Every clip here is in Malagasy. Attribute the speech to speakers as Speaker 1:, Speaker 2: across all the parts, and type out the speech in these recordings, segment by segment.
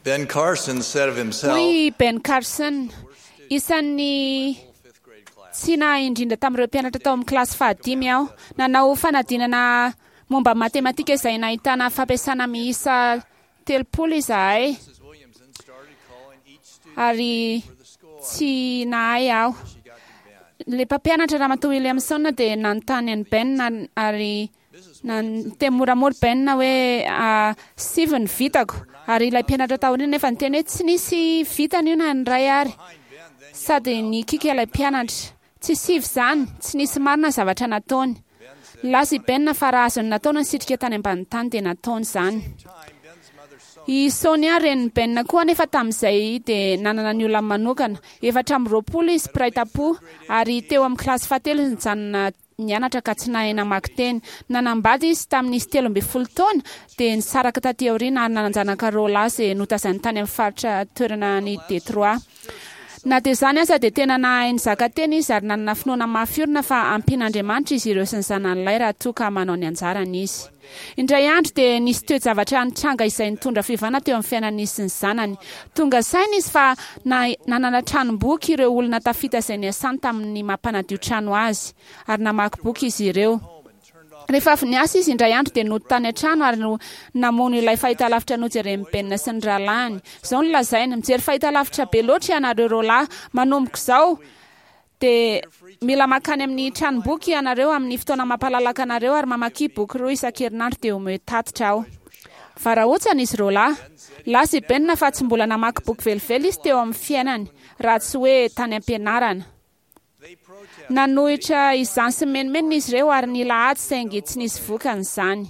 Speaker 1: Ben Carson said of himself,
Speaker 2: Hoy i Ben Carson, Isan'ny tsy nahay indrindra tamin'ireo mpianatra tao amin'ny kilasy fahadimy aho. Nanao fanadinana momba ny matematika izay nahitana fampiasana miisa 30 izahay, ary tsy nahay aho. Ilay mpampianatra, Ramatoa Williamson, dia nanontany an'i Ben ary Niteny moramora Ben hoe, Sivy ny vitako. Ary ilay mpianatra taoriana nefa niteny hoe, Tsy nisy vitany io na ny iray ary. Sady nikiky ilay mpianatra. Tsy sivy izany, tsy nisy marina ny zavatra nataony. Nilaza i Ben fa raha azony natao ny nisitrika tany ambanin'ny tany dia nataony izany. I Sonia renin'i Ben koa anefa tamin'izay dia nanana ny olany manokana. 24 izy mpiray tam-po ary teo amin'ny kilasy fahatelo izy nijanona nianatra ka tsy nahay namaky teny. Nanambady izy tamin'izy 13 taona, dia nisaraka taty aoriana ary nanan-janaka roa lahy izay notazainy tany amin'ny faritra toerana any Detroit. Na dia izany aza dia tena nahay nizaka tena izy ary nanana finoana mafy orina fa hampian'Andriamanitra izy ireo sy ny zanany lahy raha toa ka manao ny anjarany izy. Indray andro dia nisy toe-javatra nitranga izay nitondra fiovana teo amin'ny fiainan'izy sy ny zanany. Tonga saina izy fa nanana tranom-boky ireo olona tafita izay niasany tamin'ny maha mpanadio trano azy, ary namaky boky izy ireo. Rehefa avy niasa izy indray andro dia nody tany an-trano ary namono ilay fahitalavitra nojeren'i Ben sy ny rahalahiny. Izao no lazainy, Mijery fahitalavitra be loatra ianareo roalahy. Manomboka izao, Dia mila mankany amin'ny tranomboky ianareo amin'ny fotoana mampalalaka anareo ary mamakia boky roa isan-kerinandro dia omeo tatitra aho. Varahontsana izy roalahy. Lasa i Ben fa tsy mbola namaky boky velively izy teo amin'ny fiainany, raha tsy hoe tany am-pianarana. Nanohitra izany sy nimenomenona izy ireo ary nila ady saingy tsy nisy vokany izany.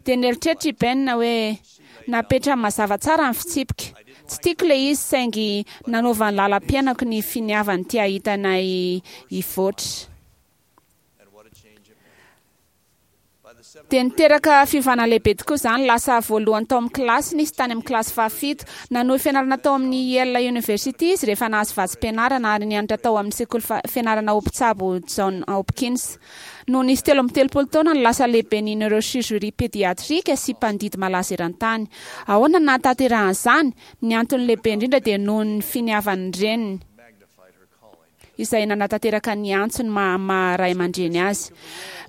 Speaker 2: Dia nieritreritra i Ben hoe, Napetrany mazava tsara ny fitsipika. Tsy tiako ilay izy saingy nanova ny lalam-piainako ny finiavany te hahita anay hivoatra. Dia niteraka fiovana lehibe tokoa izany. Lasa voalohany tao amin'ny kilasiny izy tany amin'ny kilasy fahafito. Nanohy fianarana tao amin'ny Yale University izy rehefa nahazo vatsim-pianarana ary nianatra tao amin'ny sekoly fianarana ho mpitsabo John Hopkins. Nony izy 33 taona no lasa lehiben'ny neurochirurgie pédiatrique sy mpandidy malaza eran-tany. Ahoana no nahatanterahany izany? Ny antony lehibe indrindra dia noho ny finiavan'ny reniny, izay nanatanteraka ny antsony maha maha ray aman-dreny azy.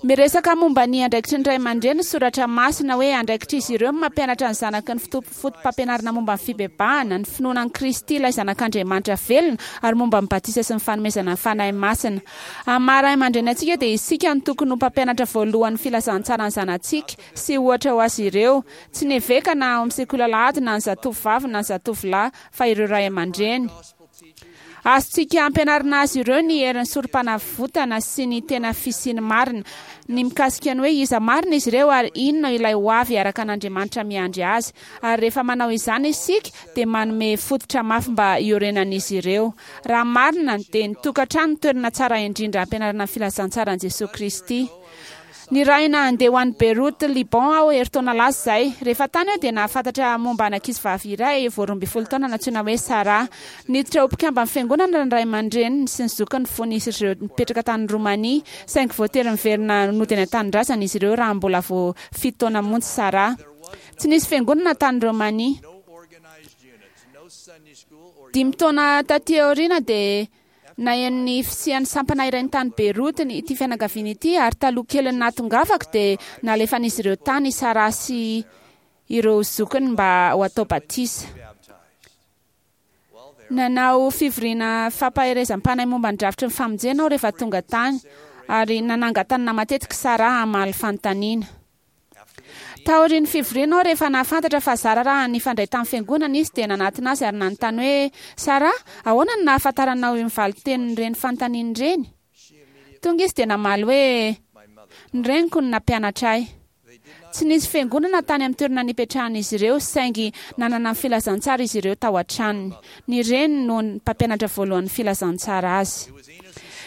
Speaker 2: Miresaka momba ny andraikitry ny ray aman-dreny ny soratra masina hoe andraikitr'izy ireo ny mampianatra ny zanaky ny fotopampianarana momba ny fibebahana, ny finoana an'i Kristy ilay Zanak'Andriamanitra velona ary momba ny batisa sy ny fanomezana ny Fanahy Masina. Amin'ny maha ray aman-dreny antsika dia isika no tokony ho mpampianatra voalohany ny filazantsara ny zanatsika sy ohatra ho azy ireo. Tsy ny eveka na ao amin'ny sekoly alahady na ny zatovovavy na ny zatovolahy fa ireo ray aman-dreny. Azontsika ampianarina azy ireo ny herin'ny Sorompanavotana sy ny tena fisiany marina, ny mikasika ny hoe iza marina izy ireo ary inona ilay hoavy araka an'Andriamanitra miandry azy. Ary rehefa manao izany isika dia manome fototra mafy mba hiorenan'izy ireo. Raha marina, dia ny tokantrano no toerana tsara indrindra hampianarana ny filazantsaran'i Jesoa Kristy. Nirahina handeha ho any Beyrouth, Liban aho herintaona lasa izay. Rehefa tany aho dia nahafantatra momba an'ankizivavy iray vao 12 taona nantsoina hoe Sarah. Niditra ho mpikamban'ny Fiangonana ny ray aman-dreniny sy ny zokiny fony izy ireo nipetraka tany Romania, saingy voatery niverina nody any an-tanindrazana izy ireo raha mbola vao fito taona monja Sarah. Tsy nisy fiangonana tany Romania. Dimy taona taty aoriana dia naheno ny fisian'ny sampana iray tany Beyrouth ity fianakaviana ity ary taloha kelin'ny nahatongavako dia nalefan'izy ireo tany i Sarah sy ireo zokiny mba ho atao batisa. Nanao fivoriana fampaherezam-panahy momba ny drafitry ny famonjena aho rehefa tonga tany ary nanangan-tanana matetika i Sarah hamaly fanontaniana. Taorian'ny fivoriana aho rehefa nahafantatra fa zara raha nifandray tamin'ny fiangonana izy dia nanatona azy ary nanontany hoe, Sarah, ahoana no nahafantaranao iny valin-tenin'ireny fanontaniana ireny? Tonga izy dia namaly hoe, Ny reniko no nampianatra ahy. Tsy nisy fiangonana tany amin'ny toerana nipetrahan'izy ireo saingy nanana ny filazantsara izy ireo tao an-tranony. Ny reniny no mpampianatra voalohan'ny filazantsara azy.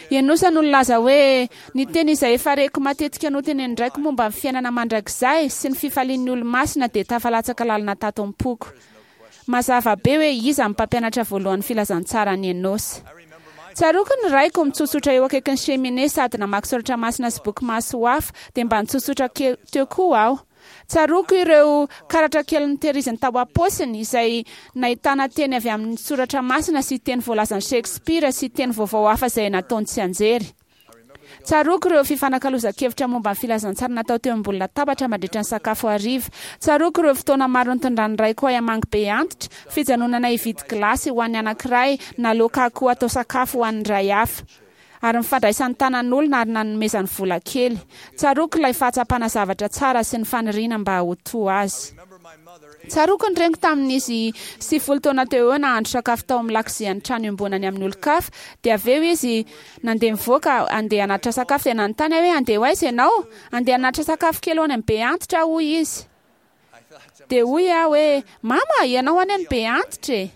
Speaker 2: I Enosa no nilaza hoe, Ny teny izay efa reko matetika notenenin-draiko momba ny fiainana mandrakizay sy ny fifalian'ny olo-masina dia tafalatsaka lalina tato am-poko. Mazava be hoe iza no mpampianatra voalohan'ny filazantsara an'i Enosa. Tsaroako ny raiko mitsotsotra eo akaikin'ny cheminée sady namaky soratra masina sy boky mahasoa hafa, dia mba nitsotsotra teo koa aho. Tsaroako ireo karatra kely notehiriziny tao am-paosiny, izay nahitana teny avy amin'ny soratra masina sy teny voalazan'i Shakespeare sy teny vaovao hafa izay nataony tsianjery. Tsaroako ireo fifanakalozan-kevitra momba ny filazantsara natao teo ambony latabatra mandritra ny sakafo hariva. Tsaroako ireo fotoana maro nitondran'ny raiko ahy hamangy be antitra, fijanonana hividy gilasy ho an'ny anankiray na laoka akoho atao sakafo ho an'ny iray hafa. Ary ny fandraisany tanan'olona ary nanomezany vola kely. Tsaroako ilay fahatsapana zavatra tsara sy ny faniriana mba ho toa azy. Tsaroako ny reniko tamin'izy 90 taona teo eo nahandro sakafo tao amin'ny lakozian'ny trano iombonany amin'ny olon-kafa. Dia avy eo izy nandeha nivoaka handeha hanatitra sakafo dia nanontany aho hoe handeha ho aiza ianao? Handeha hanatitra sakafo kely ho any amin'ny be antitra aho hoy izy. Dia hoy aho hoe mama ianao anie no be antitra e!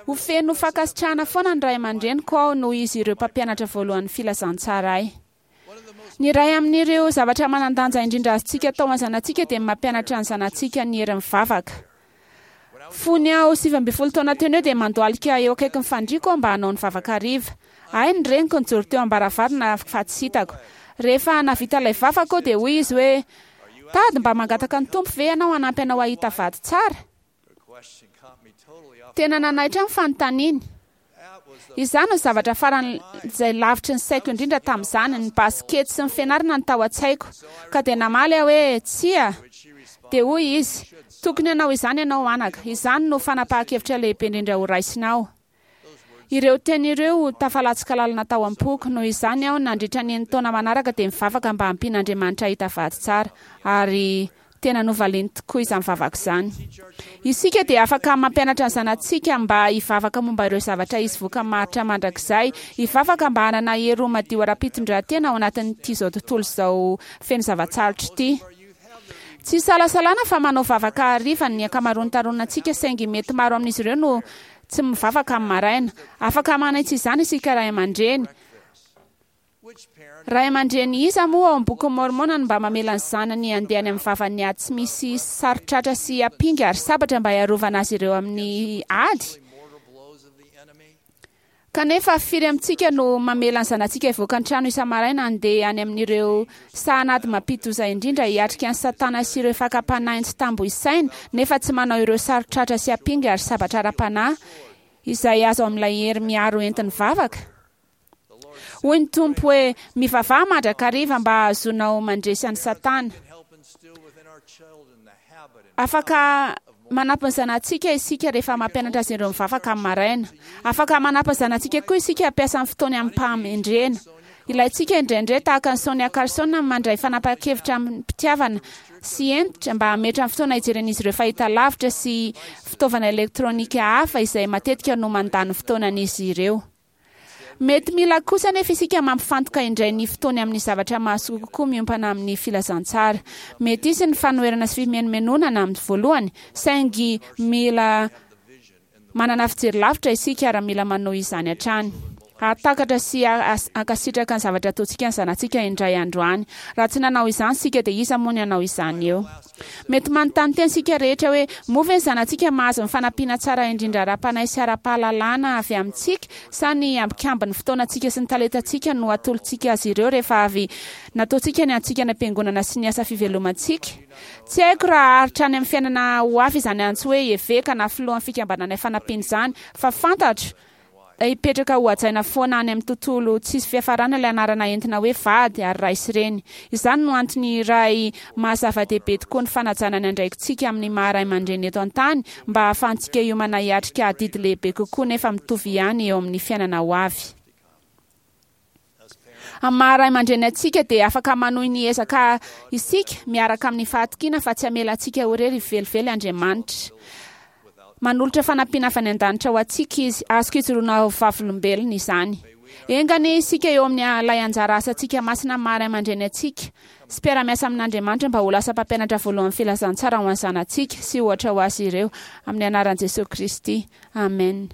Speaker 2: Ho feno fankasitrahana foana ny ray aman-dreniko aho noho izy ireo mpampianatra voalohan'ny filazantsara ahy. Ny iray amin'ireo zavatra manan-danja indrindra azontsika atao amin'ny zanatsika dia ny mampianatra ny zanatsika ny herin'ny vavaka. Fony aho 19 taona teo no eo dia mandohalika eo akaikin'ny fandriako aho mba hanao ny vavaka hariva. Hay ny reniko nijoro teo am-baravarana fa tsy hitako. Rehefa nahavita ilay vavaka aho dia hoy izy hoe, Tady mba mangataka ny Tompo ve ianao hanampy anao hahita vady tsara? Tena nanaitra ahy ny fanontaniany. Izany no zavatra faran'izay lavitry ny saiko indrindra tamin'izany, ny basikety sy ny fianarana no tao an-tsaiko. Ka dia namaly aho hoe, Tsia. Dia hoy izy, Tokony hanao izany ianao anaka. Izany no fanapahan-kevitra lehibe indrindra horaisinao. Ireo teny ireo tafalatsaka lalina tao am-poko. Noho izany aho nandritra ny enin-taona manaraka dia nivavaka mba hampian'Andriamanitra hahita vady tsara. Ary tena novaliany tokoa izany vavaka izany. Isika dia afaka mampianatra ny zanatsika mba hivavaka momba ireo zavatra hisy vokany maharitra mandrakizay, hivavaka mba hanana hery ho madio ara-pitondrantena ao anatin'ity izao tontolo izao feno zava-tsarotra ity. Tsy isalasalana fa manao vavaka hariva ny ankamaroan'ny taronantsika saingy mety maro amin'izy ireo no Tsy mivavaka amin'ny maraina. Afaka manitsy izany isika ray aman-dreny. Ray aman-dreny iza moa ao amin'ny Bokin'i Môrmôna no mba mamela ny zanany handeha any amin'ny vavan'ny ady tsy misy saron-tratra sy ampinga ary sabatra mba hiarovana azy ireo amin'ny ady? Kanefa, firy amintsika no mamela ny zanatsika hivoaka ny trano isa-maraina handeha any amin'ireo sahan'ady mampidi-doza indrindra hiatrika an'i Satana sy ireo fakam-panahiny tsy tambo isaina, nefa tsy manao ireo saron-tratra sy ampinga ary sabatra ara-panahy izay azo amin'ilay hery miaro entin'ny vavaka? Hoy ny Tompo hoe, Mivavaha mandrakariva mba hahazoanao mandresy an'i Satana. Afaka manampy ny zanatsika isika rehefa mampianatra azy ireo mivavaka amin'ny maraina. Afaka manampy ny zanatsika koa isika hampiasa ny fotoany amim-pahamendrehana. Ilaintsika indraindray, tahaka an'i Sonia Carson, ny mandray fanapahan-kevitra amim-pitiavana sy hentitra mba hametra ny fotoana hijeren'izy ireo fahitalavitra sy fitaovana elektronika hafa izay matetika no mandany ny fotoanan'izy ireo. Mety mila kosa anefa isika mampifantoka indray ny fotoany amin'ny zavatra mahasoa kokoa miompana amin'ny filazantsara. Mety hisy ny fanoherana sy fimenomenonana amin'ny voalohany, saingy mila manana fijery lavitra isika ary mila manohy izany hatrany. Hahatakatra sy hankasitraka ny zavatra ataontsika ny zanatsika indray andro any. Raha tsy nanao izany isika dia iza moa ny hanao izany eo? Mety manontany tena isika rehetra hoe, 'Moa ve ny zanatsika mahazo ny fanampiana tsara indrindra ara-panahy sy ara-pahalalana avy amintsika, sa ny ambikambin'ny fotoanantsika sy ny talentantsika no atolotsika azy ireo rehefa avy nataontsika ny antsika any am-piangonana sy ny asa fivelomantsika? Tsy haiko raha haharitra any amin'ny fiainana ho avy izany antso hoe eveka na filohan'ny Fikambanana Ifanampiana izany, fa fantatro Hipetraka ho hajaina foana any amin'ny tontolo tsisy fiafarana ilay anarana entina hoe vady ary ray sy reny. Izany no antony iray maha zava-dehibe tokoa ny fanajana ny andraikitsika amin'ny maha ray aman-dreny eto an-tany mba hahafahantsika hiomana hiatrika adidy lehibe kokoa nefa mitovy ihany eo amin'ny fiainana ho avy. Amin'ny maha ray aman-dreny antsika dia afaka manohy ny ezaka isika miaraka amin'ny fahatokiana fa tsy hamela antsika ho irery velively Andriamanitra. Manolotra fanampiana avy any an-danitra ho antsika Izy. Azoko ijoroana ho vavolombelona izany. Enga anie isika eo amin'ny ilay anjara asantsika masina amin'ny maha ray aman-dreny antsika sy mpiara-miasa amin'Andriamanitra mba ho lasa mpampianatra voalohan'ny filazantsara ho an'ny zanatsika sy ohatra ho azy ireo. Amin'ny anaran'i Jesoa Kristy. Amen.